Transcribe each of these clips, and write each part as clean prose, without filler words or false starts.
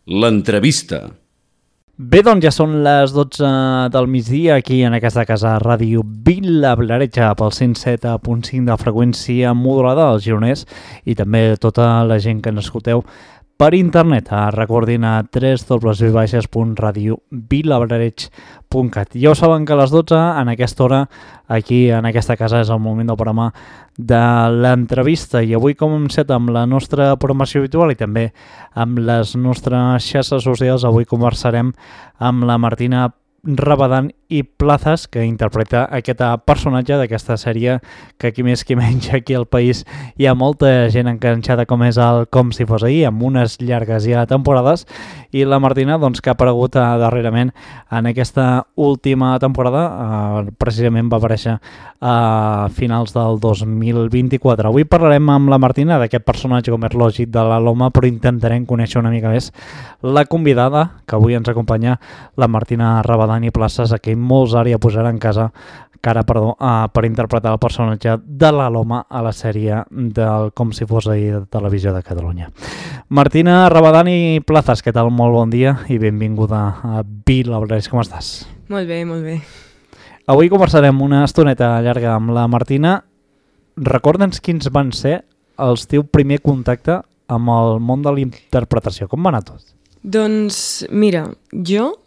L'entrevista. Bé, doncs ja són les 12 del migdia aquí en aquesta casa Ràdio Vila-Blaretja pel 107.5 de freqüència modulada al Gironès i també tota la gent que ens escolteu per internet. Recordin a www.radiovilablareig.cat. Ja ho saben que a les 12 en aquesta hora aquí en aquesta casa és el moment del programa de l'entrevista i avui com hem set amb la nostra programació habitual i també amb les nostres xarxes socials, avui conversarem amb la Martina Rabadán i Plazas, que interpreta aquest personatge d'aquesta sèrie que qui més qui menys aquí al país hi ha molta gent enganxada com és el Com si fos ahir, amb unes llargues ja temporades, i la Martina doncs, que ha aparegut darrerament en aquesta última temporada, precisament va aparèixer a finals del 2024. Avui parlarem amb la Martina d'aquest personatge, com és lògic, de la Loma, però intentarem conèixer una mica més la convidada, que avui ens acompanya, la Martina Rabadán i Plazas, a qui molts ara ja posaran en casa per interpretar el personatge de la Loma a la sèrie del Com si fos ahir de Televisió de Catalunya. Martina Rabadán i Plazas, què tal? Molt bon dia i benvinguda a Vila-Blaretja. Com estàs? Molt bé, molt bé. Avui conversarem una estoneta llarga amb la Martina. Recorda'ns quins van ser els teu primer contacte amb el món de la interpretació. Com va anar tot? Doncs mira, jo,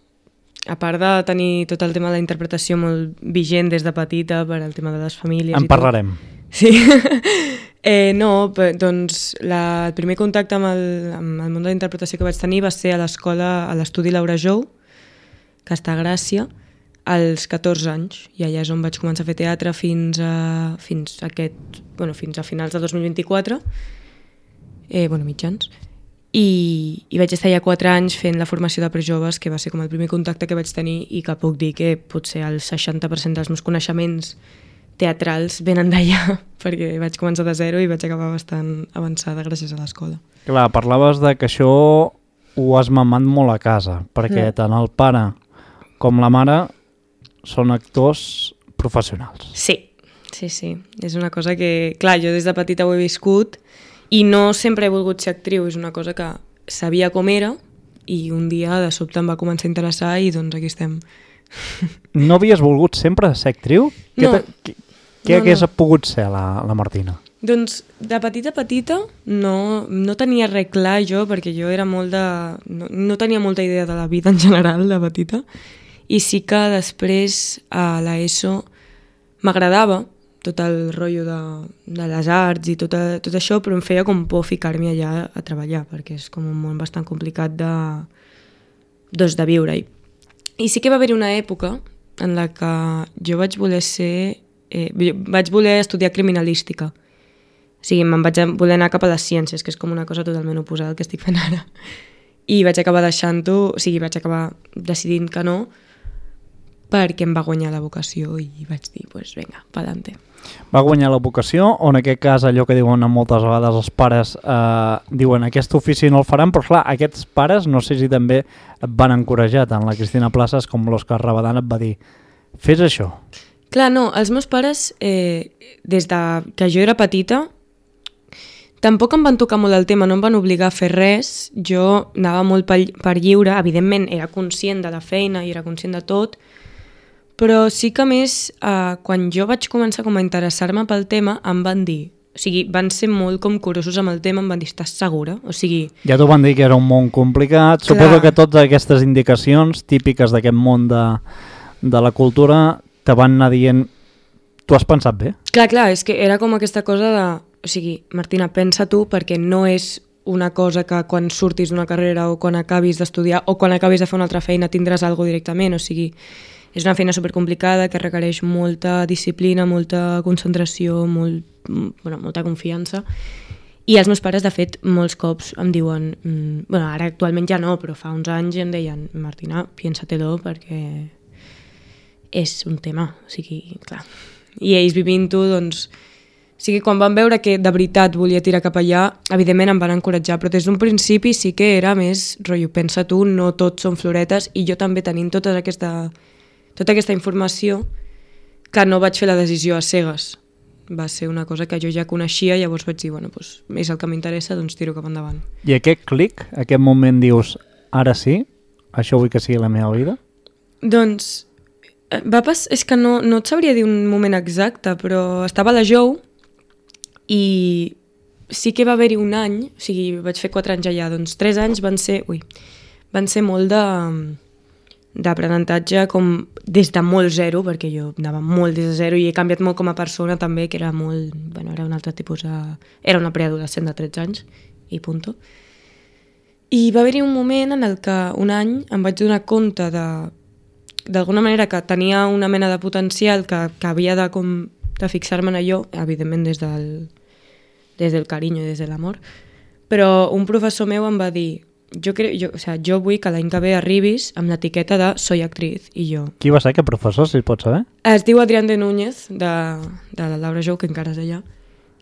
a part de tenir tot el tema de la interpretació molt vigent des de petita per al tema de les famílies en parlarem. Sí. Doncs el primer contacte amb el món de la interpretació que vaig tenir va ser a l'escola, a l'estudi Laura Jou, que està a Gràcia, als 14 anys, i allà és on vaig començar a fer teatre fins a finals de 2024, mitjans. I vaig estar ja 4 anys fent la formació de prejoves, que va ser com el primer contacte que vaig tenir i que puc dir que potser el 60% dels meus coneixements teatrals venen d'allà, perquè vaig començar de zero i vaig acabar bastant avançada gràcies a l'escola. Clar, parlaves de que això ho has mamat molt a casa, perquè tant el pare com la mare són actors professionals. Sí. És una cosa que, clar, jo des de petita ho he viscut i no sempre he volgut ser actriu, és una cosa que sabia com era i un dia de sobte em va començar a interessar i doncs aquí estem. No havies volgut sempre ser actriu? No. Què hagués pogut ser la Martina? Doncs de petita no tenia res clar jo, perquè jo era molt de... No tenia molta idea de la vida en general de petita, i sí que després a l'ESO m'agradava tot el rotllo de les arts i tot això, però em feia com por ficar-m'hi allà a treballar, perquè és com un món bastant complicat de viure-hi. I sí que va haver una època en la que jo vaig voler estudiar criminalística. O sigui, me'n vaig voler anar cap a les ciències, que és com una cosa totalment oposada al que estic fent ara. I vaig acabar deixant-ho, o sigui, vaig acabar decidint que no, perquè em va guanyar la vocació i vaig dir, doncs vinga, pa'lante. Va guanyar la vocació, o en aquest cas allò que diuen moltes vegades els pares, diuen aquest ofici no el faran, però clar, aquests pares no sé si també et van encoratjar, tant la Cristina Plazas com l'Òscar Rabadán et va dir, fes això. Clar, no, els meus pares, des que jo era petita, tampoc em van tocar molt el tema, no em van obligar a fer res, jo anava molt per lliure, evidentment era conscient de la feina i era conscient de tot, però sí que més, quan jo vaig començar a interessar-me pel tema, em van dir, o sigui, van ser molt com curosos amb el tema, em van dir, estàs segura? O sigui... Ja t'ho van dir que era un món complicat, clar. Suposo que totes aquestes indicacions típiques d'aquest món de la cultura te van anar dient, tu has pensat bé? Clar, és que era com aquesta cosa de, o sigui, Martina, pensa tu, perquè no és una cosa que quan surtis d'una carrera o quan acabis d'estudiar o quan acabis de fer una altra feina tindràs alguna cosa directament, o sigui... És una feina supercomplicada que requereix molta disciplina, molta concentració, molta confiança. I els meus pares, de fet, molts cops em diuen... ara actualment ja no, però fa uns anys em deien Martina, piénsatelo perquè és un tema. O sigui, clar. I ells vivint-ho, doncs... O sigui, quan van veure que de veritat volia tirar cap allà, evidentment em van encoratjar, però des d'un principi sí que era més rotllo, pensa tu, no tots són floretes, i jo també tenint tota aquesta informació que no vaig fer la decisió a cegues. Va ser una cosa que jo ja coneixia, llavors vaig dir, és el que m'interessa, doncs tiro cap endavant. I aquest clic, aquest moment dius, ara sí, això vull que sigui la meva vida? Doncs és que no et sabria dir un moment exacte, però estava a la JOU i sí que va haver-hi un any, o sigui, vaig fer 4 anys allà, doncs 3 anys van ser molt d'aprenentatge com des de molt zero, perquè jo anava molt des de zero i he canviat molt com a persona també, que era molt, bueno, era un altre tipus era una preadolescent de 13 anys i punto. I va haver-hi un moment en el que un any em vaig donar compte d'alguna manera que tenia una mena de potencial que havia de fixar-me en allò, evidentment des del carinyo i des de l'amor, però un professor meu em va dir jo vull que l'any que ve arribis amb l'etiqueta de soy actriz, i jo... Qui va ser aquest professor, si es pot saber? Es diu Adrián de Núñez, de la Laura Jou, que encara és allà,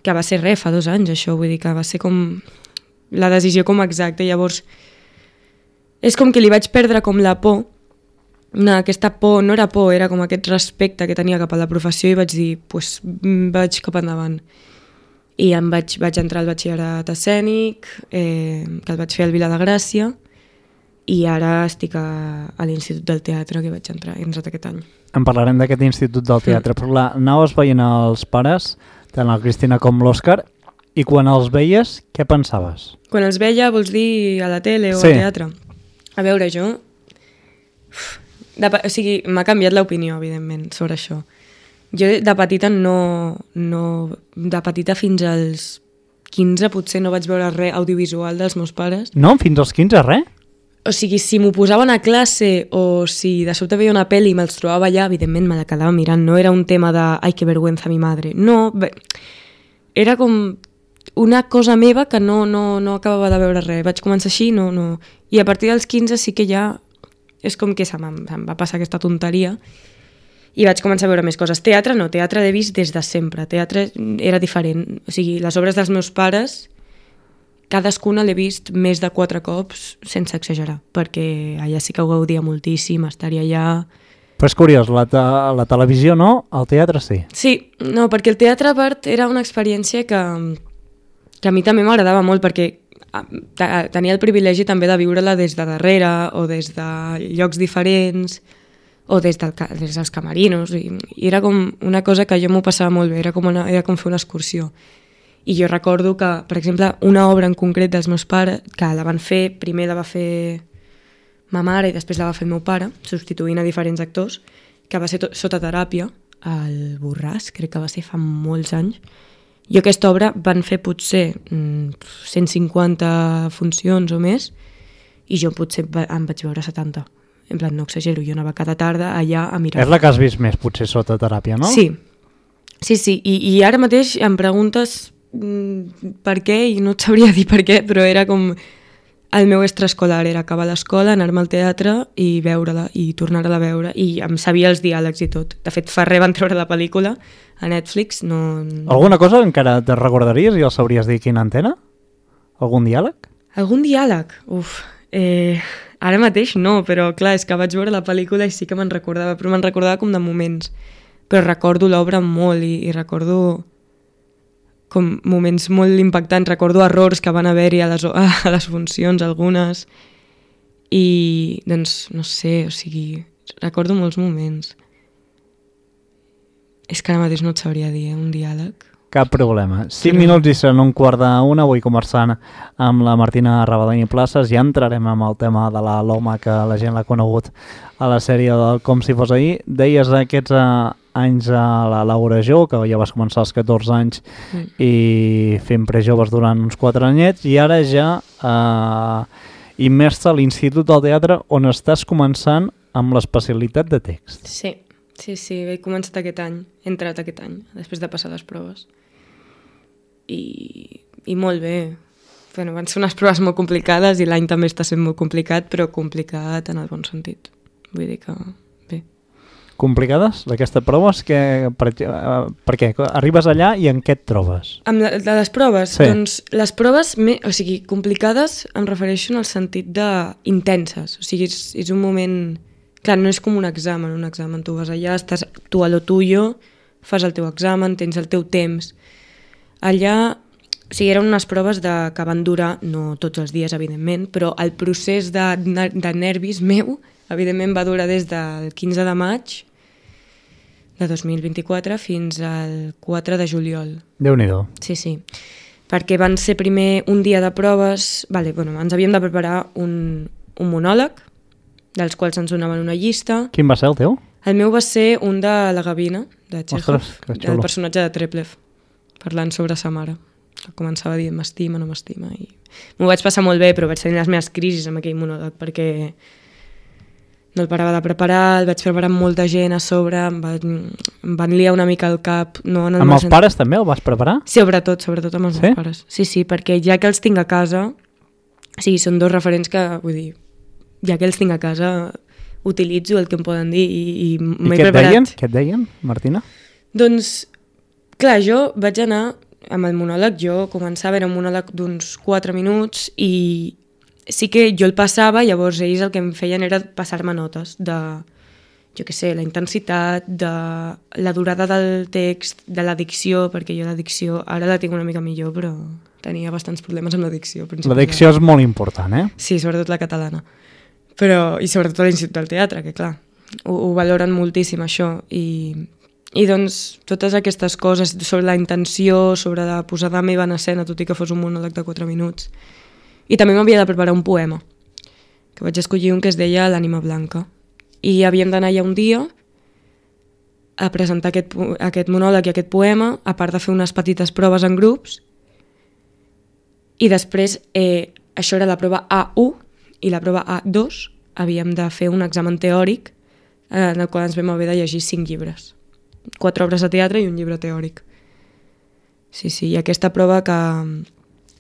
que va ser fa 2 anys, això, vull dir que va ser com la decisió com exacta, llavors és com que li vaig perdre com la por. No, aquesta por no era por, era com aquest respecte que tenia cap a la professió i vaig dir, vaig cap endavant. I vaig entrar al batxillerat escènic, que el vaig fer al Vila de Gràcia, i ara estic a l'Institut del Teatre, que he entrat aquest any. En parlarem d'aquest Institut del Teatre, però anaves veient els pares, tant la Cristina com l'Òscar, i quan els veies, què pensaves? Quan els veia, vols dir a la tele o al teatre? A veure, jo... m'ha canviat l'opinió, evidentment, sobre això. Jo de petita de petita fins als 15 potser no vaig veure res audiovisual dels meus pares. No? Fins als 15 res? O sigui, si m'ho posaven a classe o si de sobte veia una pel·li i me'ls trobava allà, evidentment me la quedava mirant. No era un tema de ai, que vergüenza mi madre. No, era com una cosa meva que no acabava de veure res. Vaig començar així, no. I a partir dels 15 sí que ja és com que se'm va passar aquesta tonteria i vaig començar a veure més coses. Teatre no, teatre l'he vist des de sempre. Teatre era diferent. O sigui, les obres dels meus pares, cadascuna l'he vist més de 4 cops, sense exagerar, perquè allà sí que ho gaudia moltíssim, estaria allà... Però és curiós, la televisió no, el teatre sí. Sí, no, perquè el teatre, a part, era una experiència que a mi també m'agradava molt, perquè tenia el privilegi també de viure-la des de darrere o des de llocs diferents o des dels camerinos i era com una cosa que jo m'ho passava molt bé, era com fer una excursió. I jo recordo que, per exemple, una obra en concret dels meus pares, que la van fer, primer la va fer ma mare i després la va fer el meu pare, substituint a diferents actors, que va ser Sota teràpia, al Borràs, crec que va ser fa molts anys. Jo aquesta obra van fer potser 150 funcions o més i jo potser em vaig veure 70. En plan, no exagero, jo anava cada tarda allà a mirar. És la que has vist més, potser, Sota teràpia, no? Sí. I ara mateix em preguntes per què i no et sabria dir per què, però era com... El meu extraescolar era acabar l'escola, anar-me al teatre i veure-la i tornar-la a veure i em sabia els diàlegs i tot. De fet, fa res van treure la pel·lícula a Netflix. No... Alguna cosa encara te recordaries i el sabries dir quina antena? Algun diàleg? Algun diàleg? Ara mateix no, però clar, és que vaig veure la pel·lícula i sí que me'n recordava, però me'n recordava com de moments. Però recordo l'obra molt i recordo... com moments molt impactants, recordo errors que van haver-hi a les funcions, algunes, i doncs, no sé, o sigui, recordo molts moments. És que ara mateix no et sabria dir, un diàleg. Cap problema. 5 minuts i seran 1:45, avui conversant amb la Martina Rabadany i Places, ja entrarem amb el tema de la Loma, que la gent l'ha conegut a la sèrie del Com si fos ahir. Deies aquests anys a la Laura Jou, que ja vas començar als 14 anys i fent prejoves durant uns 4 anyets, i ara ja immersa a l'Institut del Teatre, on estàs començant amb l'especialitat de text. Sí, he començat aquest any, he entrat aquest any, després de passar les proves. I molt bé. Bueno, van ser unes proves molt complicades i l'any també està sent molt complicat, però complicat en el bon sentit. Vull dir que bé. Complicades, d'aquestes proves? Per què? Arribes allà i en què et trobes? De les proves? Sí. Doncs les proves, o sigui, complicades em refereixo en el sentit d'intenses. O sigui, és un moment... Clar, no és com un examen tu vas allà, estàs tu a lo tuyo, fas el teu examen, tens el teu temps. Allà O sigui, eren unes proves que van durar, no tots els dies, evidentment, però el procés de nervis meu, evidentment, va durar des del 15 de maig de 2024 fins al 4 de juliol. Déu-n'hi-do. Sí. Perquè van ser primer un dia de proves... ens havíem de preparar un monòleg, dels quals ens donaven una llista. Quin va ser el teu? El meu va ser un de la Gavina, de Chekhov, Ostres, que xulo. el personatge de Treplev, parlant sobre sa mare. Que començava dient m'estima, no m'estima. I m'ho vaig passar molt bé, però vaig tenir les meves crisis amb aquell monòleg, perquè no el parava de preparar, el vaig preparar amb molta gent a sobre, em van liar una mica el cap. No, Amb els pares també el vas preparar? Sobretot amb els meus pares. Sí, perquè ja que els tinc a casa, o sigui, són dos referents que, vull dir, ja que els tinc a casa, utilitzo el que em poden dir i m'he preparat. Què et deien, Martina? Doncs, clar, jo vaig anar amb el monòleg, jo començava, era un monòleg d'uns 4 minuts i sí que jo el passava, llavors ells el que em feien era passar-me notes de, jo què sé, la intensitat, de la durada del text, de la dicció, perquè jo la dicció ara la tinc una mica millor, però tenia bastants problemes amb la dicció. La dicció és molt important, eh? Sí, sobretot la catalana. I sobretot a l'Institut del Teatre, que clar, ho valoren moltíssim això i doncs totes aquestes coses sobre la intenció, sobre la posada meva en escena, tot i que fos un monòleg de 4 minuts. I també m'havia de preparar un poema, que vaig escollir un que es deia L'ànima blanca. I havíem d'anar ja un dia a presentar aquest monòleg i aquest poema, a part de fer unes petites proves en grups. I després, això era la prova A1 i la prova A2, havíem de fer un examen teòric en el qual ens vam haver de llegir 5 llibres. 4 obres de teatre i un llibre teòric. Sí, i aquesta prova que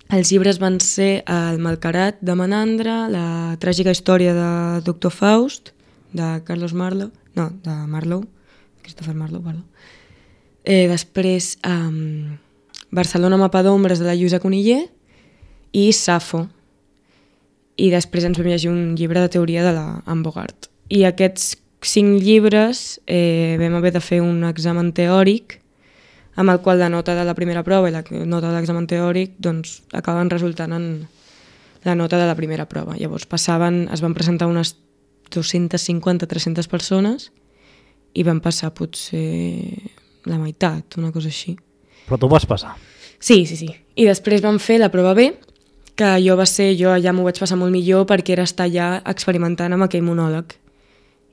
els llibres van ser El Malcarat de Menandre, La tràgica història de Doctor Faust, de Carlos Marlowe, no, de Marlowe, Christopher Marlowe, perdó. Després Barcelona mapa d'ombres de la Lluïsa Coniller i Safo. I després ens vam llegir un llibre de teoria de la Anne Bogart. I aquests 5 llibres vam haver de fer un examen teòric amb el qual la nota de la primera prova i la nota de l'examen teòric doncs, acaben resultant en la nota de la primera prova. Llavors es van presentar unes 250-300 persones i van passar potser la meitat, una cosa així. Però tu vas passar. Sí. I després vam fer la prova B, que jo allà m'ho vaig passar molt millor perquè era estar allà experimentant amb aquell monòleg.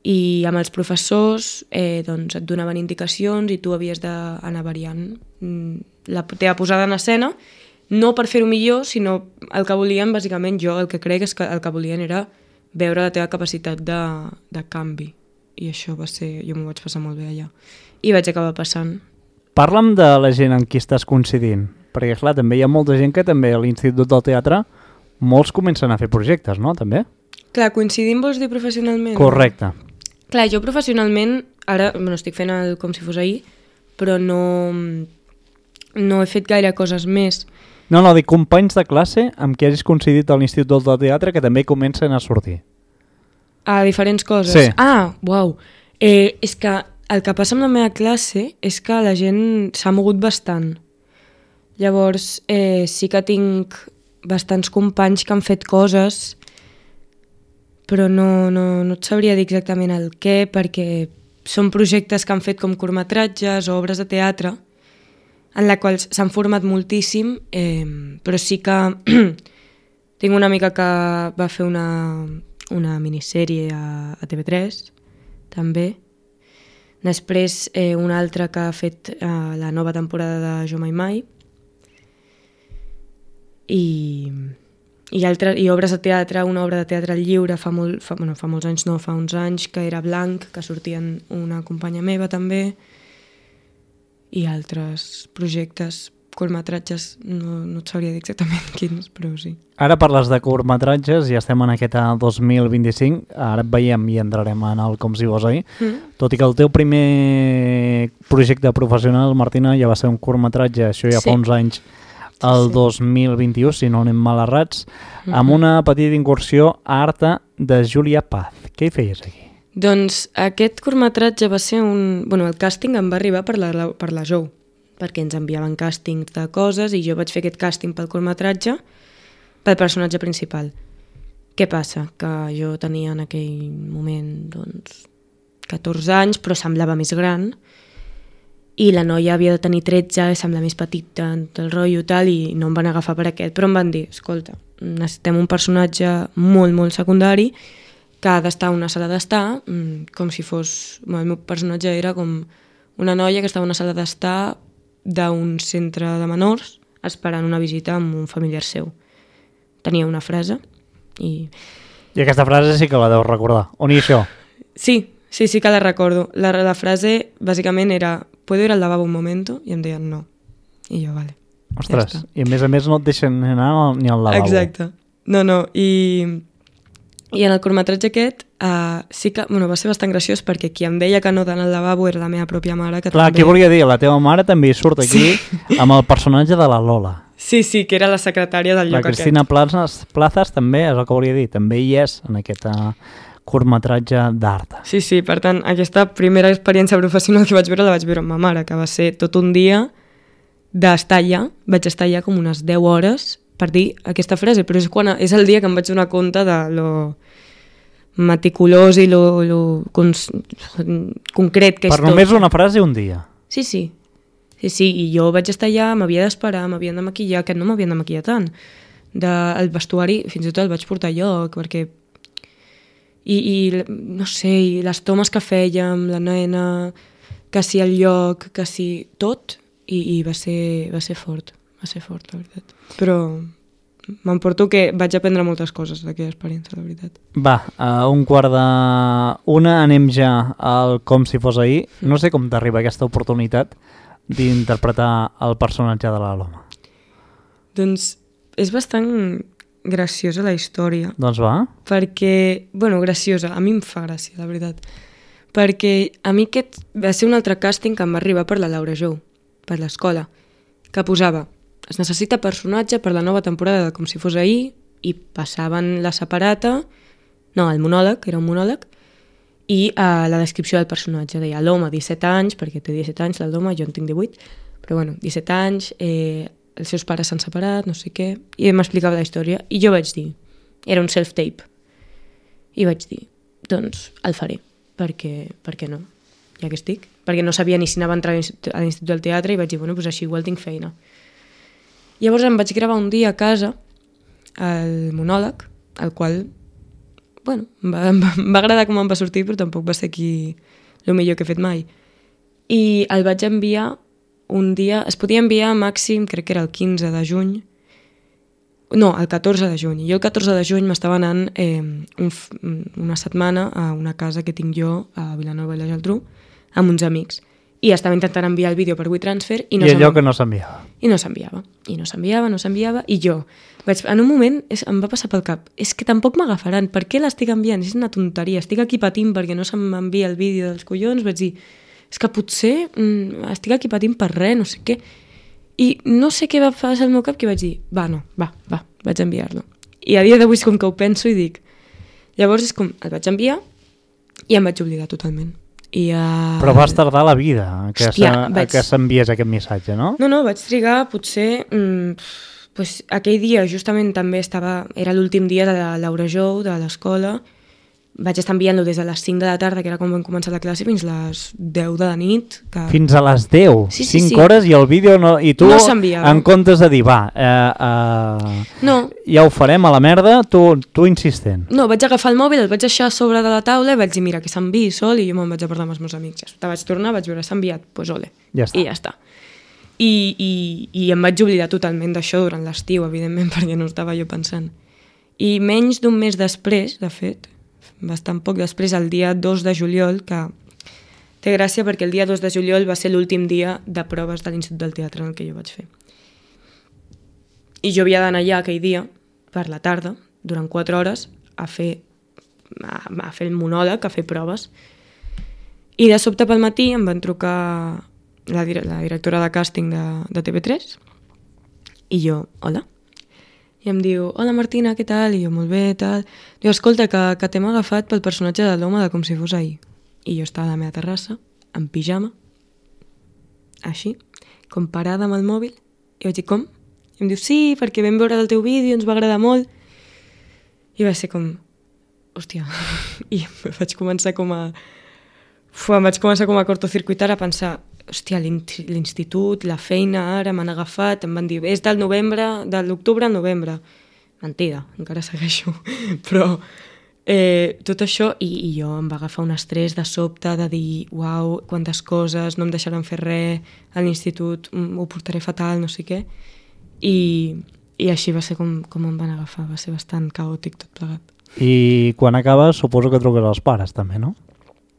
I amb els professors doncs et donaven indicacions i tu havies d'anar variant la teva posada en escena, no per fer-ho millor, sinó el que volien, bàsicament, jo el que crec és que el que volien era veure la teva capacitat de canvi. I això va ser... Jo m'ho vaig passar molt bé allà. I vaig acabar passant. Parla'm de la gent amb qui estàs coincidint, perquè clar, també hi ha molta gent que també a l'Institut del Teatre molts comencen a fer projectes, no? També? Clar, coincidim vols dir professionalment? Correcte. Clar, jo professionalment, ara estic fent com si fos ahir, però no he fet gaire coses més. No, dic companys de classe amb qui hagis coincidit a l'Institut del Teatre que també comencen a sortir. A diferents coses? Sí. Uau. És que el que passa amb la meva classe és que la gent s'ha mogut bastant. Llavors, sí que tinc bastants companys que han fet coses, però no et sabria dir exactament el què, perquè són projectes que han fet com curtmetratges o obres de teatre, en la qual s'han format moltíssim, però sí que tinc una amiga que va fer una minissèrie a TV3, també. Després una altra que ha fet la nova temporada de Jo Mai Mai. I obres de teatre, una obra de teatre lliure fa molts anys, fa uns anys, que era Blanc, que sortien una companya meva també, i altres projectes, curtmetratges, no et sabria dir exactament quins, però sí. Ara parles de curtmetratges i estem en aquest 2025, ara et veiem i entrarem en el Com si fos ahir, tot i que el teu primer projecte professional, Martina, ja va ser un curtmetratge, això ja fa uns anys, el 2021, si no anem mal errats, amb una petita incursió a Arta de Júlia Paz. Què hi feies aquí? Doncs aquest curtmetratge va ser el càsting em va arribar per la Jou, perquè ens enviaven càstings de coses i jo vaig fer aquest càsting pel curtmetratge pel personatge principal. Què passa? Que jo tenia en aquell moment 14 anys, però semblava més gran, i la noia havia de tenir 13, sembla més petita en tot el rotllo i tal, i no em van agafar per aquest, però em van dir, escolta, necessitem un personatge molt, molt secundari que ha d'estar a una sala d'estar, com si fos... El meu personatge era com una noia que estava a una sala d'estar d'un centre de menors esperant una visita amb un familiar seu. Tenia una frase i... I aquesta frase sí que la deus recordar. On hi això? Sí que la recordo. La frase bàsicament era ¿puedo ir al lavabo un momento? I em deien no. I jo, vale. Ostres, ja i a més no et deixen anar ni al lavabo. Exacte. No. I en el curtmetratge aquest sí que va ser bastant graciós perquè qui em deia que no d'anar al lavabo era la meva pròpia mare. Que clar, també... què volia dir? La teva mare també hi surt aquí amb el personatge de la Lola. Sí, que era la secretària del lloc aquest. La Cristina Plazas també, és el que volia dir, també hi és en aquest curtmetratge d'art. Sí, per tant, aquesta primera experiència professional que vaig veure la vaig veure amb ma mare, que va ser tot un dia d'estar allà. Vaig estar allà com unes 10 hores per dir aquesta frase, però és el dia que em vaig donar compte de lo meticulós i lo concret que és tot. Per només una frase un dia. Sí, i jo vaig estar allà, m'havia d'esperar, m'havien de maquillar, que no m'havien de maquillar tant. El vestuari, fins i tot el vaig portar a lloc, perquè... I no sé, i les tomes que fèiem, la nena, que si el lloc, que si tot, i va ser fort, la veritat. Però m'emporto que vaig aprendre moltes coses d'aquella experiència, la veritat. Va, a 1:45 anem ja al Com si fos ahir. No sé com t'arriba aquesta oportunitat d'interpretar el personatge de la Loma. Doncs és bastant graciosa la història. Doncs va. Perquè, graciosa, a mi em fa gràcia, la veritat. Perquè a mi aquest va ser un altre càsting que em va arribar per la Laura Jou, per l'escola, que posava es necessita personatge per la nova temporada de Com si fos ahir, i passaven la separata, el monòleg, era un monòleg, i la descripció del personatge deia l'home 17 anys, perquè té 17 anys l'home, jo en tinc 18, però 17 anys, els seus pares s'han separat, no sé què, i m'explicava la història, i jo vaig dir, era un self-tape, i vaig dir, doncs el faré, perquè no, ja que estic, perquè no sabia ni si anava a entrar a l'Institut del Teatre, i vaig dir, doncs així igual tinc feina. Llavors em vaig gravar un dia a casa el monòleg, el qual, em va agradar com em va sortir, però tampoc va ser aquí el millor que he fet mai. I el vaig enviar un dia, es podia enviar màxim, crec que era el 15 de juny, el 14 de juny. Jo el 14 de juny m'estava anant una setmana a una casa que tinc jo a Vilanova i la Geltrú amb uns amics. I estava intentant enviar el vídeo per WeTransfer i allò que no s'enviava. I no s'enviava. I jo, en un moment em va passar pel cap, és que tampoc m'agafaran, per què l'estic enviant? És una tonteria, estic aquí patint perquè no se m'envia el vídeo dels collons, vaig dir, és que potser estic aquí patint per res, no sé què. I no sé què va passar al meu cap, que vaig dir, va, vaig enviar-lo. I a dia d'avui és com que ho penso i dic, llavors és com, el vaig enviar i em vaig oblidar totalment. Però vas tardar la vida que s'enviés aquest missatge, no? No, vaig trigar potser... aquell dia justament també era l'últim dia de la Laura Jou, de l'escola. Vaig estar enviant-lo des de les 5 de la tarda, que era quan vam començar la classe, fins a les 10 de la nit. Fins a les 10? Sí. 5 hores i el vídeo no... I tu, no s'enviava. En comptes de dir, ja ho farem a la merda, tu insistent. No, vaig agafar el mòbil, el vaig deixar a sobre de la taula i vaig dir, mira, que s'enviï sol, i jo me'n vaig a parlar amb els meus amics. Ja vaig tornar, vaig veure, s'ha enviat, doncs ole. Ja està. I ja està. I em vaig oblidar totalment d'això durant l'estiu, evidentment, perquè no estava jo pensant. I menys d'un mes després, de fet, bastant poc després, el dia 2 de juliol, que té gràcia perquè el dia 2 de juliol va ser l'últim dia de proves de l'Institut del Teatre en el que jo vaig fer. I jo havia d'anar allà aquell dia, per la tarda, durant 4 hores, a fer el monòleg, a fer proves. I de sobte pel matí em van trucar la directora de càsting de TV3 i jo, hola. I em diu, hola Martina, què tal? I jo, molt bé, tal. Diu, escolta, que t'hem agafat pel personatge de l'home de Com si fos ahir. I jo estava a la meva terrassa, en pijama, així, com parada amb el mòbil, i vaig dir, com? I em diu, sí, perquè vam veure el teu vídeo, ens va agradar molt. I va ser com, hòstia, i vaig començar com a cortocircuitar, a pensar, hòstia, l'institut, la feina, ara m'han agafat, em van dir, és de l'octubre al novembre. Mentida, encara segueixo, però tot això, i jo em va agafar un estrès de sobte de dir, uau, quantes coses, no em deixaran fer res, a l'institut ho portaré fatal, no sé què, i així va ser com em van agafar, va ser bastant caòtic tot plegat. I quan acabes suposo que truques als pares també, no?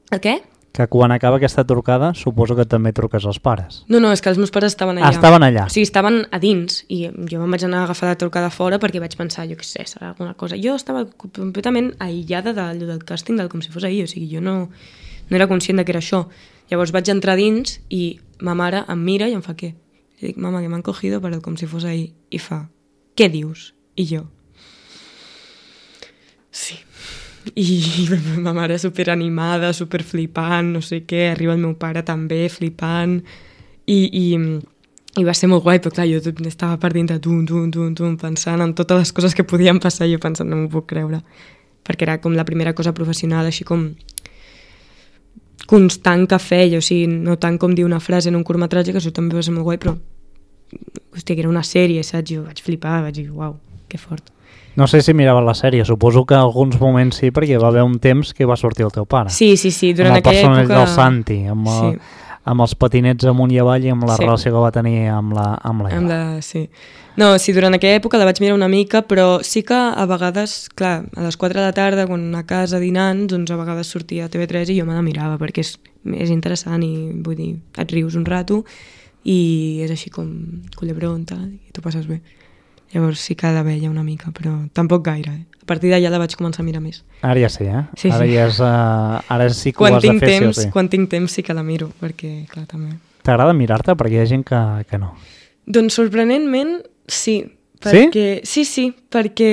El què? Que quan acaba aquesta trucada suposo que també truques als pares. No, és que els meus pares estaven allà. Ah, estaven allà. O sigui, estaven a dins i jo me'n vaig anar a agafar la trucada fora perquè vaig pensar, jo què sé, serà alguna cosa. Jo estava completament aïllada del càsting com si fos ahir, o sigui, jo no era conscient que era això. Llavors vaig entrar dins i ma mare em mira i em fa què? I dic, mama, que m'han cogido per com si fos ahir. I fa, què dius? I jo, sí. I ma mare superanimada, superflipant, no sé què, arriba el meu pare també flipant i va ser molt guai, però clar, jo estava per dintre pensant en totes les coses que podien passar, jo pensant, no m'ho puc creure, perquè era com la primera cosa professional, així com constant que feia, o sigui, no tant com dir una frase en un curtmetratge, que això també va ser molt guai, però hòstia, que era una sèrie, saps? Jo vaig flipar, vaig dir, uau, que fort. No sé si miraves la sèrie, suposo que en alguns moments sí, perquè va haver un temps que va sortir el teu pare. Sí, durant aquella època... Amb el personatge del Santi, amb els patinets amunt i avall i amb la relació que va tenir amb la sí. No, sí, durant aquella època la vaig mirar una mica, però sí que a vegades, clar, a les 4 de la tarda, quan a casa dinant, doncs a vegades sortia a TV3 i jo me la mirava, perquè és interessant i vull dir, et rius un rato i és així com culebrón, tal, i t'ho passes bé. Llavors sí que la veia una mica, però tampoc gaire. A partir d'allà la vaig començar a mirar més. Ara ja sí, eh? Sí, ara, sí. Ara sí que ho has de fer, sí o sí. Quan tinc temps sí que la miro, perquè, clar, també... T'agrada mirar-te? Perquè hi ha gent que no. Doncs sorprenentment, sí. Perquè, sí, perquè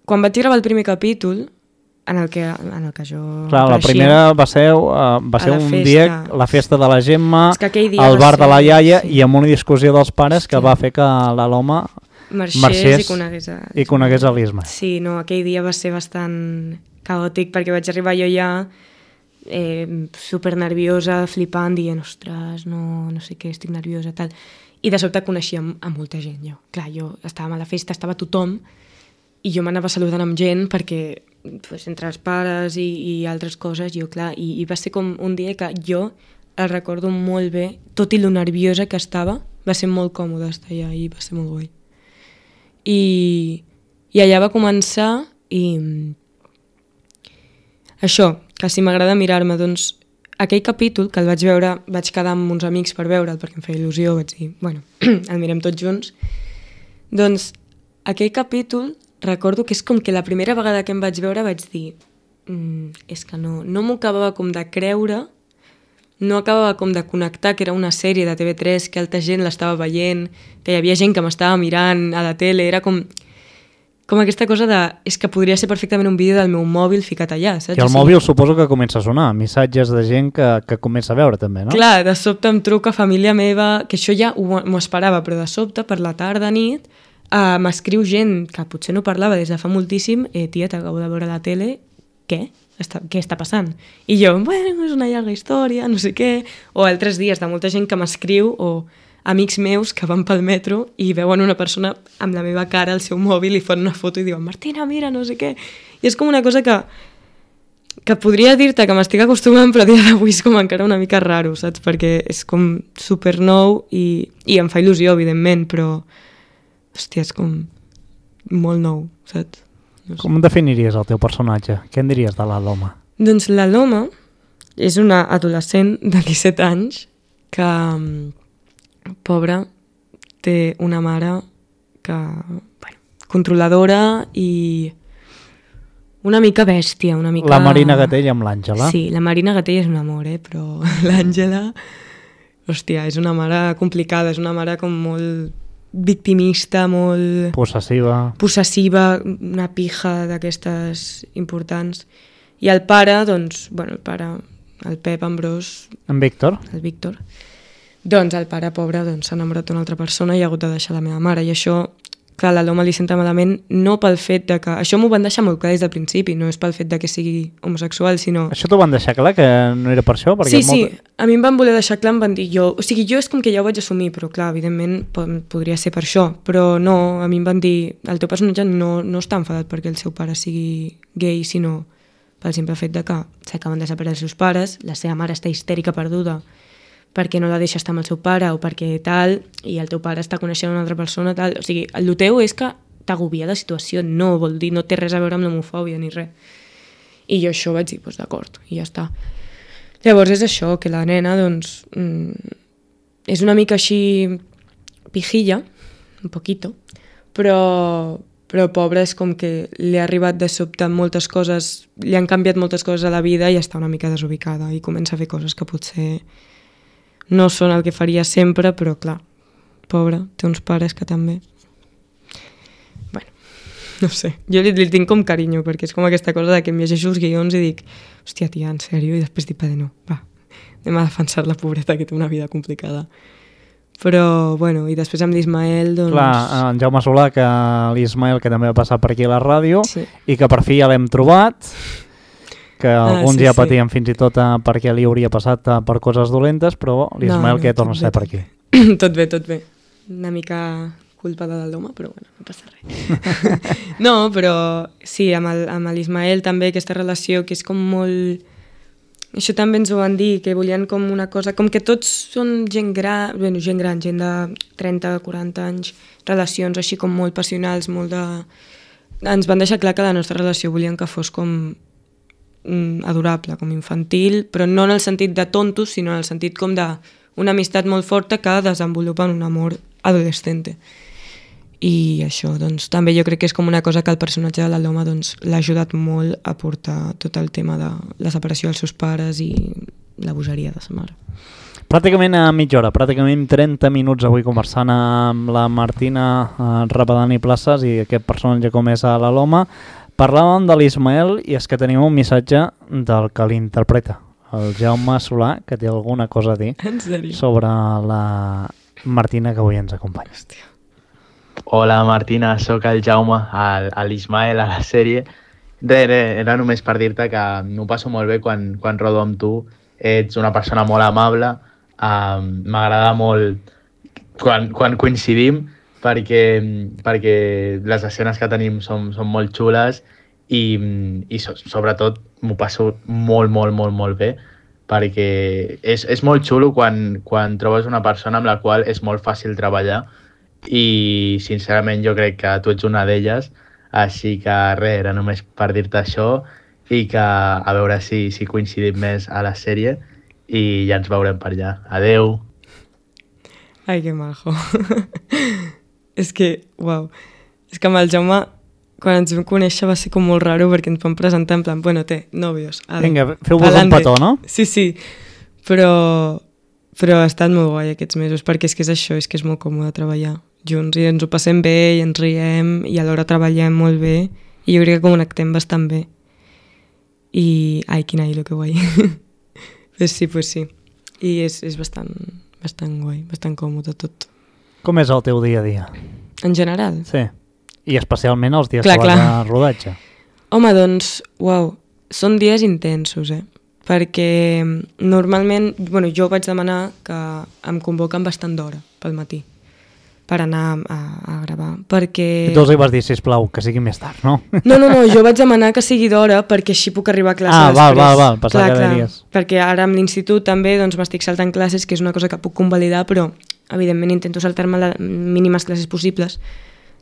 quan vaig gravar el primer capítol, en el que jo clar, la primera va ser un festa. dia, la festa de la Gemma, dia al bar de la iaia, sí. I amb una discussió dels pares que va fer que l'Aloma marxés i conegués l'Isma. Sí, no, aquell dia va ser bastant caòtic perquè vaig arribar jo ja super nerviosa, flipant, dient, ostres, no sé què, estic nerviosa, tal. I de sobte coneixia a molta gent, jo. Clar, jo estàvem a la festa, estava tothom, i jo m'anava saludant amb gent perquè entre els pares i altres coses, jo, clar, i va ser com un dia que jo el recordo molt bé, tot i lo nerviosa que estava, va ser molt còmode estar allà i va ser molt guai. I allà va començar i això, que si m'agrada mirar-me, doncs aquell capítol que el vaig veure, vaig quedar amb uns amics per veure'l perquè em feia il·lusió, vaig dir, bueno, el mirem tots junts, doncs aquell capítol recordo que és com que la primera vegada que em vaig veure vaig dir és que no m'ho acabava com de creure, no acabava com de connectar que era una sèrie de TV3, que altra gent l'estava veient, que hi havia gent que m'estava mirant a la tele, era com aquesta cosa de... és que podria ser perfectament un vídeo del meu mòbil ficat allà, saps? I el mòbil suposo que comença a sonar, missatges de gent que comença a veure també, no? Clar, de sobte em truca família meva, que això ja m'ho esperava, però de sobte, per la tarda, nit, m'escriu gent que potser no parlava des de fa moltíssim, tia, t'acabo de veure a la tele, què? Què està passant? I jo, bueno, és una llarga història, no sé què, o altres dies de molta gent que m'escriu, o amics meus que van pel metro i veuen una persona amb la meva cara al seu mòbil i fan una foto i diuen, Martina, mira, no sé què. I és com una cosa que podria dir-te que m'estic acostumant, però a dia d'avui és com encara una mica raro, saps? Perquè és com super nou i em fa il·lusió, evidentment, però hòstia, és com molt nou, saps? No sé. Com definiries el teu personatge? Què en diries de l'Aloma? Doncs l'Aloma és una adolescent de 17 anys que, pobra, té una mare que, bueno, controladora i una mica bèstia, una mica... La Marina Gatell amb l'Àngela. Sí, la Marina Gatell és un amor, però l'Àngela, hòstia, és una mare complicada, és una mare com molt victimista, molt... Possessiva, una pija d'aquestes importants. I el pare, doncs, bueno, el Pep Ambrós... En Víctor? El Víctor. Doncs el pare pobre s'ha enamorat d'una altra persona i ha hagut de deixar la meva mare, i això, clar, la Loma li senta malament, no pel fet de que... Això m'ho van deixar molt clar des del principi, no és pel fet de que sigui homosexual, sinó... Això t'ho van deixar clar, que no era per això? Perquè Sí, a mi em van voler deixar clar, em van dir jo... O sigui, jo és com que ja ho vaig assumir, però clar, evidentment podria ser per això, però no, a mi em van dir el teu personatge no està enfadat perquè el seu pare sigui gay, sinó pel simple fet de que s'acaben de separar els seus pares, la seva mare està histèrica perduda perquè no la deixa estar amb el seu pare o perquè tal, i el teu pare està coneixent una altra persona, tal. O sigui, el teu és que t'agobia la situació, no vol dir, no té res a veure amb l'homofòbia ni res. I jo això vaig dir, doncs d'acord, i ja està. Llavors és això, que la nena, doncs, és una mica així pijilla, un poquito, però pobra és com que li ha arribat de sobte moltes coses, li han canviat moltes coses a la vida i està una mica desubicada i comença a fer coses que potser no són el que faria sempre, però clar, pobra, té uns pares que també... Bueno, no sé, jo li tinc com carinyo, perquè és com aquesta cosa de que em llegeixo els guions i dic, hòstia, tia, en sèrio? I després dic, no, va, anem a defensar la pobreta que té una vida complicada. Però, bueno, i després amb l'Ismael, doncs... Clar, en Jaume Solà, que l'Ismael, que també va passar per aquí a la ràdio, sí. I que per fi ja l'hem trobat... que alguns ja patien fins i tot perquè li hauria passat per coses dolentes, però l'Ismael que torna a ser per aquí. Tot bé. Una mica culpa de l'home, però bueno, no passa res. No, però sí, amb l'Ismael també aquesta relació que és com molt... Això també ens ho van dir, que volien com una cosa... Com que tots són gent gran, gent de 30, 40 anys, relacions així com molt passionals, molt de... Ens van deixar clar que la nostra relació volien que fos com adorable, com infantil, però no en el sentit de tontos, sinó en el sentit com d'una amistat molt forta que desenvolupa en un amor adolescente. I això, doncs, també jo crec que és com una cosa que el personatge de la Loma doncs, l'ha ajudat molt a portar tot el tema de la separació dels seus pares i la bogeria de sa mare. Pràcticament a mitja hora, pràcticament 30 minuts avui conversant amb la Martina Rapadani Places i aquest personatge com és a la Loma. Parlàvem de l'Ismael i és que tenim un missatge del que l'interpreta, el Jaume Solà, que té alguna cosa a dir sobre la Martina que avui ens acompanya. Hòstia. Hola Martina, sóc el Jaume, l'Ismael a la sèrie. Era només per dir-te que m'ho passo molt bé quan rodo amb tu. Ets una persona molt amable, m'agrada molt quan coincidim, perquè les escenes que tenim són molt xules i sobretot m'ho passo molt bé, perquè és molt xulo quan trobes una persona amb la qual és molt fàcil treballar i sincerament jo crec que tu ets una d'elles, així que res, era només per dir-te això i que a veure si coincidim més a la sèrie i ja ens veurem per allà. Adeu! Ai, que majo! És que, uau, és que amb el Jaume, quan ens vam conèixer va ser com molt raro perquè ens vam presentar en plan, bueno, novios. Vinga, feu-vos un petó, no? Sí, però ha estat molt guai aquests mesos, perquè és que és això, és que és molt còmode treballar junts i ens ho passem bé i ens riem i alhora treballem molt bé i jo crec que connectem bastant bé. I, ai, quin lo que guai. Pues sí. I és bastant guai, bastant còmode tot. Com és el teu dia a dia? En general? Sí. I especialment els dies que vas a rodatge. Home, doncs, uau, són dies intensos, perquè normalment, jo vaig demanar que em convoquen bastant d'hora pel matí per anar a gravar, perquè... I tu els hi vas dir, sisplau, que sigui més tard, no? No, jo vaig demanar que sigui d'hora perquè així puc arribar a classe després. Val, passar cada dia. Perquè ara amb l'institut també doncs, m'estic saltant classes, que és una cosa que puc convalidar, però evidentment intento saltar-me les mínimes classes possibles.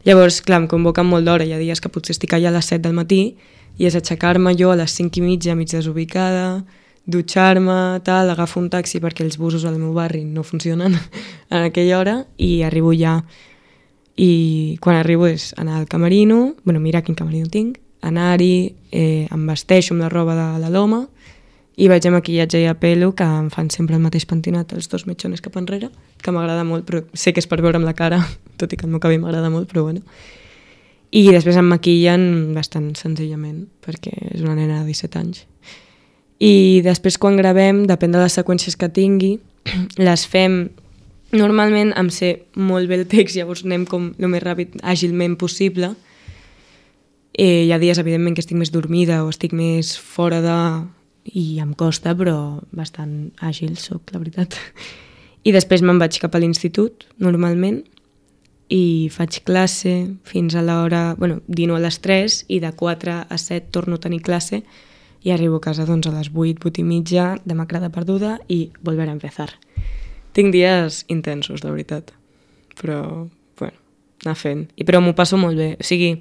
Llavors, clar, em convoquen molt d'hora, hi ha dies que potser estic allà a les 7 del matí i és aixecar-me jo a les 5:30, mig desubicada, dutxar-me, tal, agafo un taxi perquè els busos al meu barri no funcionen en aquella hora i arribo ja. I quan arribo és anar al camerino, mirar quin camerino tinc, anar-hi, em vesteixo amb la roba de la Loma i vaig a maquillatge i a pelo, que em fan sempre el mateix pentinat, els dos metxones cap enrere, que m'agrada molt, però sé que és per veure'm la cara, tot i que el meu cabell m'agrada molt, però bueno. I després em maquillen bastant senzillament, perquè és una nena de 17 anys. I després quan gravem, depèn de les seqüències que tingui, les fem normalment em sé molt bé el text, llavors anem com el més ràpid, àgilment possible. Hi ha dies, evidentment, que estic més dormida o estic més fora de... i em costa, però bastant àgil soc, la veritat. I després me'n vaig cap a l'institut, normalment, i faig classe fins a l'hora... Bueno, dino a les 3 i de 4 a 7 torno a tenir classe i arribo a casa doncs, a les 8, 8 i mitja, demacrada perduda i volver a empezar. Tinc dies intensos, la veritat. Però, bueno, anar fent. Però m'ho passo molt bé. O sigui,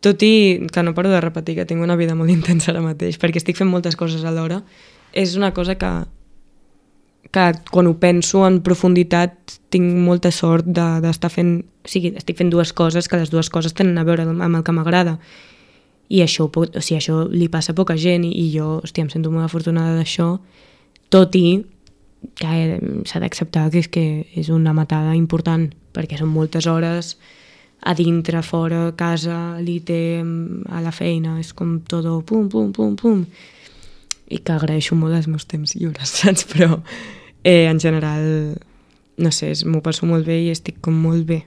tot i que no paro de repetir que tinc una vida molt intensa ara mateix, perquè estic fent moltes coses alhora, és una cosa que quan ho penso en profunditat tinc molta sort d'estar fent... O sigui, estic fent dues coses, que les dues coses tenen a veure amb el que m'agrada. I això, això li passa a poca gent i jo, hòstia, em sento molt afortunada d'això, tot i que s'ha d'acceptar que és una matada important, perquè són moltes hores a dintre, fora, a casa, l'IT, a la feina, és com tot pum, pum, pum, pum. I que agraeixo molt els meus temps lliures, saps? Però en general, no sé, m'ho passo molt bé i estic com molt bé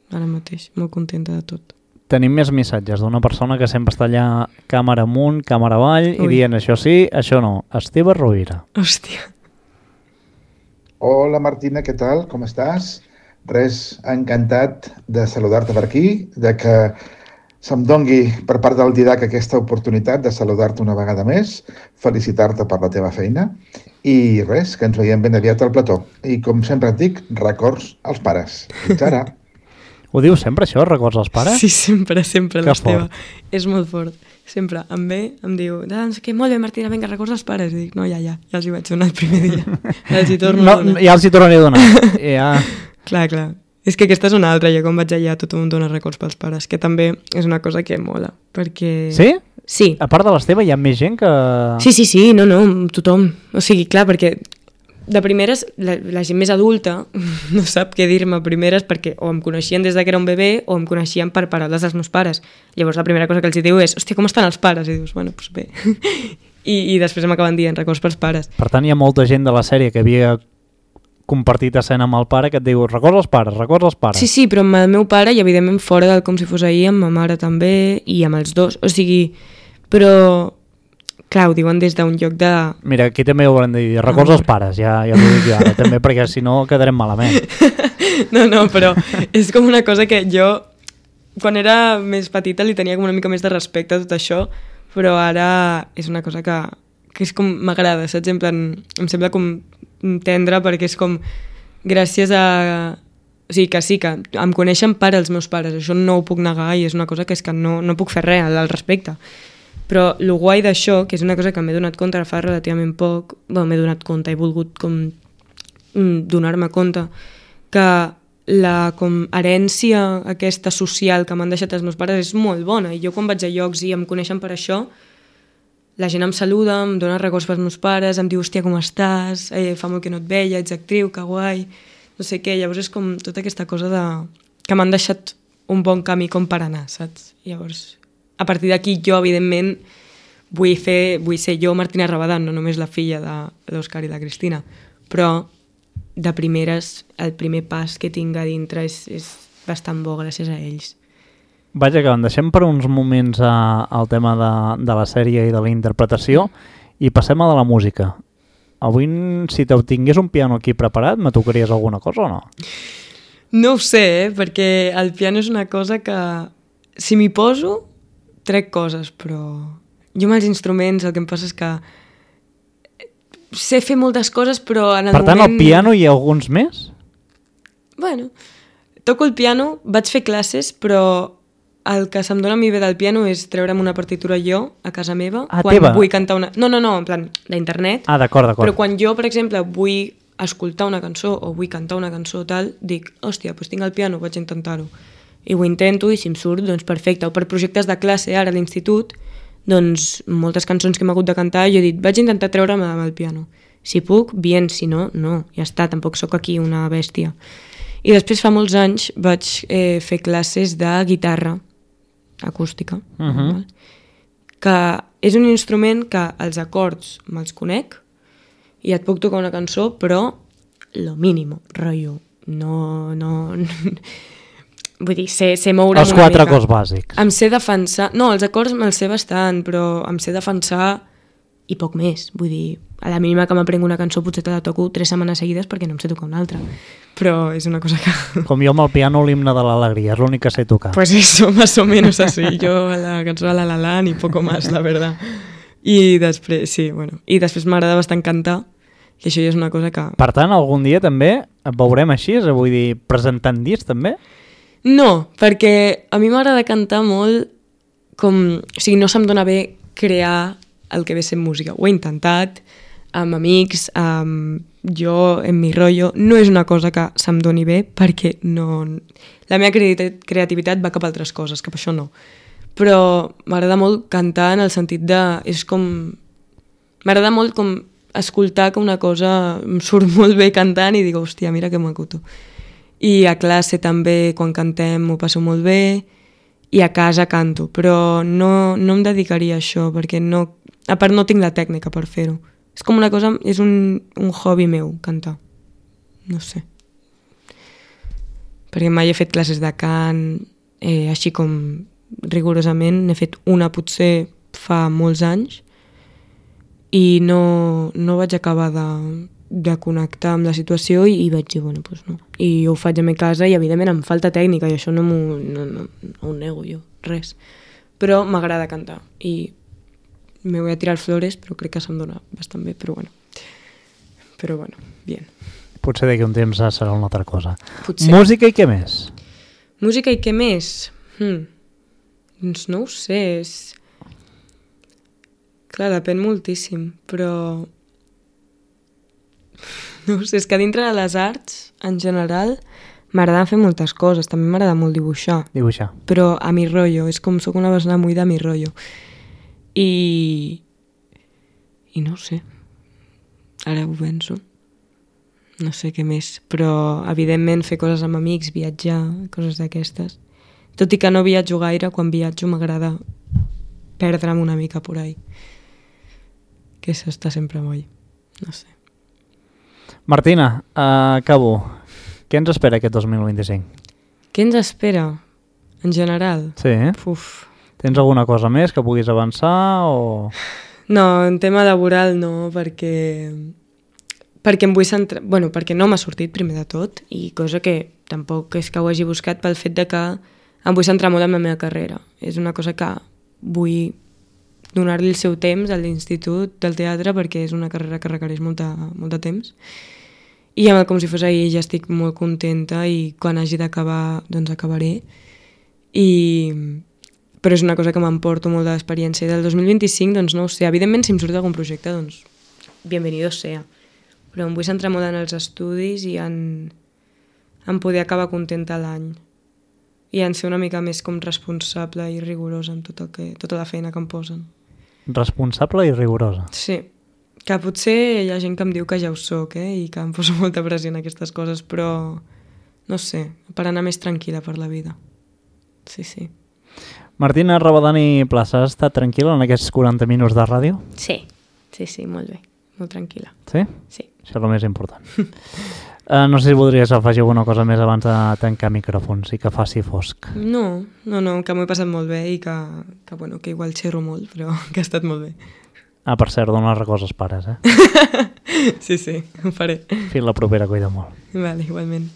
ara mateix, molt contenta de tot. Tenim més missatges d'una persona que sempre està allà càmera amunt, càmera avall, i dient això sí, això no. Esteve Rovira. Hòstia. Hola Martina, què tal? Com estàs? Res, encantat de saludar-te per aquí, de que se'm dongui per part del Didac aquesta oportunitat de saludar-te una vegada més, felicitar-te per la teva feina i res, que ens veiem ben aviat al plató. I com sempre et dic, records als pares. Fins ara. Ho diu sempre això, records als pares? Sí, sempre, l'Esteve. fort. És molt fort. Sempre em ve, em diu, doncs que molt bé, Martina, vinga, records als pares. I dic, no, ja els hi vaig donar el primer dia. Ja els hi torno a donar. Ja els hi tornaré a donar. Ja. Clar. És que aquesta és una altra, jo quan vaig allà tothom em dona records pels pares, que també és una cosa que mola, perquè... Sí? Sí. A part de l'Esteve hi ha més gent que... Sí, no, tothom. O sigui, clar, perquè de primeres, la gent més adulta no sap què dir-me a primeres perquè o em coneixien des que era un bebè o em coneixien per paraules dels meus pares. Llavors la primera cosa que els diu és, hòstia, com estan els pares? I dius, bueno, doncs bé. I després m'acaben dient records pels pares. Per tant, hi ha molta gent de la sèrie que havia compartit escena amb el pare que et diu records als pares. Sí, però amb el meu pare i evidentment fora del com si fos ahir, amb ma mare també i amb els dos. O sigui, però... Clar, ho diuen des d'un lloc de... Mira, aquí també ho haurem de dir, records als pares, ja t'ho dic jo ara, també, perquè si no quedarem malament. No, però és com una cosa que jo, quan era més petita, li tenia com una mica més de respecte a tot això, però ara és una cosa que és com m'agrada, saps? En plan, em sembla com tendre perquè és com gràcies a... O sigui, que sí, que em coneixen per als meus pares, això no ho puc negar i és una cosa que és que no puc fer res al respecte. Però el guai d'això, que és una cosa que m'he donat compte fa relativament poc, m'he donat compte, he volgut com donar-me compte, que la com herència aquesta social que m'han deixat els meus pares és molt bona. I jo quan vaig a llocs i em coneixen per això, la gent em saluda, em dona records pels meus pares, em diu, hòstia, com estàs? Fa molt que no et veia, ets actriu, que guai, no sé què. Llavors és com tota aquesta cosa que m'han deixat un bon camí com per anar, saps? Llavors... A partir d'aquí jo, evidentment, vull ser jo Martina Rabadán, no només la filla de l'Òscar i la Cristina, però de primeres el primer pas que tinc a dintre és bastant bo gràcies a ells. Vaja, que en deixem per uns moments al tema de la sèrie i de la interpretació i passem a de la música. Avui, si tingués un piano aquí preparat, me tocaries alguna cosa o no? No ho sé, perquè el piano és una cosa que si m'hi poso trec coses, però jo amb els instruments el que em passa és que sé fer moltes coses, però en el moment... Per tant, al piano hi ha alguns més? Bueno, toco el piano, vaig fer classes, però el que se'm dona a mi bé del piano és treure'm una partitura jo a casa meva. Quan teva? Vull cantar una... No, en plan, d'internet. D'acord. Però quan jo, per exemple, vull escoltar una cançó o vull cantar una cançó tal, dic, hòstia, doncs tinc el piano, vaig a intentar-ho. I ho intento i si em surt, doncs perfecte. O per projectes de classe ara a l'institut, doncs moltes cançons que hem hagut de cantar jo he dit, vaig intentar treure'm amb el piano. Si puc, bien, si no, no. Ja està, tampoc sóc aquí una bèstia. I després fa molts anys vaig fer classes de guitarra acústica, que és un instrument que els acords me'ls conec i et puc tocar una cançó, però lo mínimo, rotllo. No... Vull dir, sé moure Els una 4 mica. acords bàsics. Em sé defensar... No, els acords me'ls sé bastant, però em sé defensar i poc més. Vull dir, a la mínima que m'aprenc una cançó potser te la toco 3 setmanes seguides perquè no em sé tocar una altra. Però és una cosa que... Com jo amb el piano l'himne de l'alegria, és l'únic que sé tocar. Pues eso, más o menos así. Yo a la cançó de La La Land i poco más, la verdad. I després, sí, bueno. I després m'agrada bastant cantar, i això ja és una cosa que... Per tant, algun dia també et veurem així, vull dir, presentant discs també? No, perquè a mi m'agrada cantar molt com... O sigui, no se'm dona bé crear el que ve sent música. Ho he intentat amb amics, jo, en mi rotllo. No és una cosa que se'm doni bé perquè no... La meva creativitat va cap a altres coses, cap a això no. Però m'agrada molt cantar en el sentit de... És com... M'agrada molt com escoltar que una cosa em surt molt bé cantant i dic, hòstia, mira que maco. I a classe també, quan cantem, m'ho passo molt bé, i a casa canto, però no em dedicaria a això, perquè no, a part no tinc la tècnica per fer-ho. És com una cosa, és un hobby meu, cantar. No sé. Perquè mai he fet classes de cant, així com rigorosament, n'he fet una potser fa molts anys, i no vaig acabar de connectar amb la situació i vaig dir, bueno, doncs no. I ho faig a mi casa i evidentment em falta tècnica i això no ho nego jo, res. Però m'agrada cantar i me voy a tirar flores, però crec que se'm dona bastant bé, però bueno, bien. Potser d'aquí un temps serà una altra cosa. Potser. Música i què més? Música i què més? Doncs no ho sé, clar, depèn moltíssim, però... No ho sé, és que dintre de les arts, en general, m'agrada fer moltes coses. També m'agrada molt dibuixar. Dibuixar. Però a mi rotllo, és com soc una persona muy de mi rotllo. I no ho sé. Ara ho penso. No sé què més. Però, evidentment, fer coses amb amics, viatjar, coses d'aquestes. Tot i que no viatjo gaire, quan viatjo m'agrada perdre'm una mica por ahí. Que això està sempre moll. No sé. Martina, acabo. Què ens espera aquest 2025? Què ens espera, en general? Sí, Uf. Tens alguna cosa més que puguis avançar o...? No, en tema laboral no, perquè em vull centrar... Bueno, perquè no m'ha sortit primer de tot, i cosa que tampoc és que ho hagi buscat pel fet de que em vull centrar molt en la meva carrera. És una cosa que vull donar-li el seu temps a l'institut del teatre perquè és una carrera que requereix molt de temps. I com si fos ahir ja estic molt contenta i quan hagi d'acabar doncs acabaré. Però és una cosa que m'emporto molt d'experiència. I del 2025 doncs no ho sé. Evidentment si em surt algun projecte doncs bienvenido sea. Però em vull centrar molt en els estudis i en poder acabar contenta l'any. I en ser una mica més com responsable i rigorosa en tota la feina que em posen. Responsable i rigorosa. Sí, que potser hi ha gent que em diu que ja ho soc, i que em poso molta pressió en aquestes coses, però no sé, per anar més tranquil·la per la vida. Sí, sí. Martina Rabadani Plaça, has estat tranquil·la en aquests 40 minuts de ràdio? Sí, molt bé, molt tranquil·la. Sí? Sí. Això és el més important. No sé si voldries afegir alguna cosa més abans de tancar micròfons i que faci fosc. No, que m'ho he passat molt bé i que igual xerro molt, però que ha estat molt bé. Ah, per cert, dona les coses pares, Sí, ho faré. Fins la propera, cuida molt. Vale, igualment.